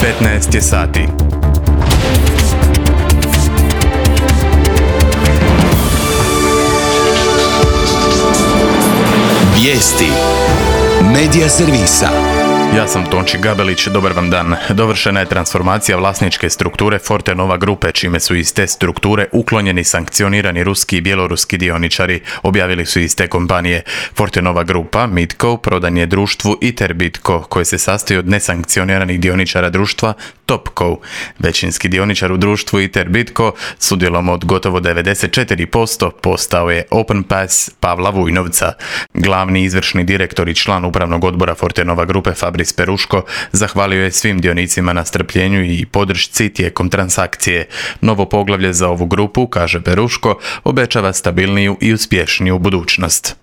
15 je sati. Vijesti Medija servisa. Ja sam Tonči Gabelić, dobar vam dan. Dovršena je transformacija vlasničke strukture Fortenova grupe, čime su iz te strukture uklonjeni sankcionirani ruski i bjeloruski dioničari, objavili su iz te kompanije. Fortenova grupa, Midco, prodan je društvu Iterbitco, koje se sastoji od nesankcioniranih dioničara društva Topco. Većinski dioničar u društvu Iterbitco s udjelom od gotovo 94% postao je OpenPass Pavla Vujnovca. Glavni izvršni direktor i član upravnog odbora Fortenova grupe Fabris Peruško zahvalio je svim dionicima na strpljenju i podršci tijekom transakcije. Novo poglavlje za ovu grupu, kaže Peruško, obećava stabilniju i uspješniju budućnost.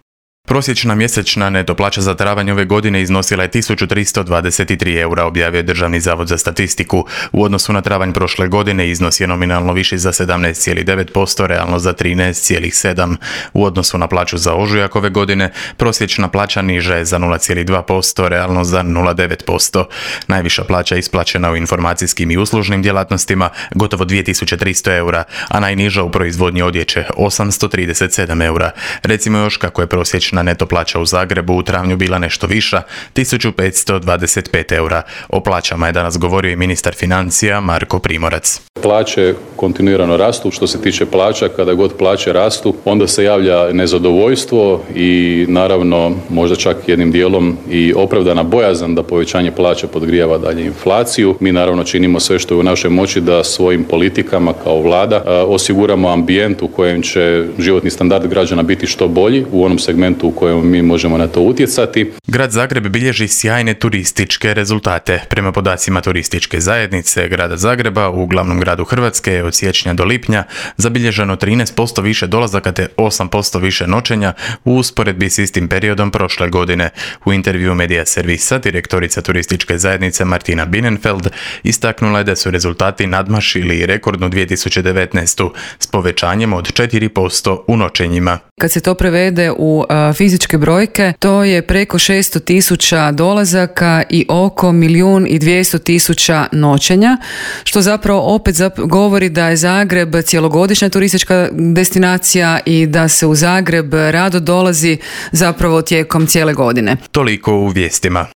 Prosječna mjesečna neto plaća za travanj ove godine iznosila je 1323 eura, objavio je Državni zavod za statistiku. U odnosu na travanj prošle godine iznos je nominalno viši za 17,9%, realno za 13,7%. U odnosu na plaću za ožujak ove godine, prosječna plaća niža je za 0,2%, realno za 0,9%. Najviša plaća isplaćena u informacijskim i uslužnim djelatnostima, gotovo 2300 eura, a najniža u proizvodnji odjeće, 837 eura. Recimo još kako je prosječna neto plaća u Zagrebu u travnju bila nešto viša, 1525 eura. O plaćama je danas govorio i ministar financija Marko Primorac. Plaće kontinuirano rastu. Što se tiče plaća, kada god plaće rastu, onda se javlja nezadovoljstvo i naravno možda čak jednim dijelom i opravdana bojazan da povećanje plaća podgrijava dalje inflaciju. Mi naravno činimo sve što je u našoj moći da svojim politikama kao vlada osiguramo ambijent u kojem će životni standard građana biti što bolji u onom segmentu u kojem mi možemo na to utjecati. Grad Zagreb bilježi sjajne turističke rezultate. Prema podacima turističke zajednice Grada Zagreba, u glavnom gradu Hrvatske je od siječnja do lipnja zabilježeno 13% više dolazaka te 8% više noćenja u usporedbi s istim periodom prošle godine. U intervju Medija servisa direktorica turističke zajednice Martina Bienenfeld istaknula je da su rezultati nadmašili rekordnu 2019. s povećanjem od 4% u noćenjima. Kad se to prevede u fizičke brojke, to je preko 600.000 dolazaka i oko 1.200.000 noćenja, što zapravo opet govori da je Zagreb cjelogodišnja turistička destinacija i da se u Zagreb rado dolazi zapravo tijekom cijele godine. Toliko u vijestima.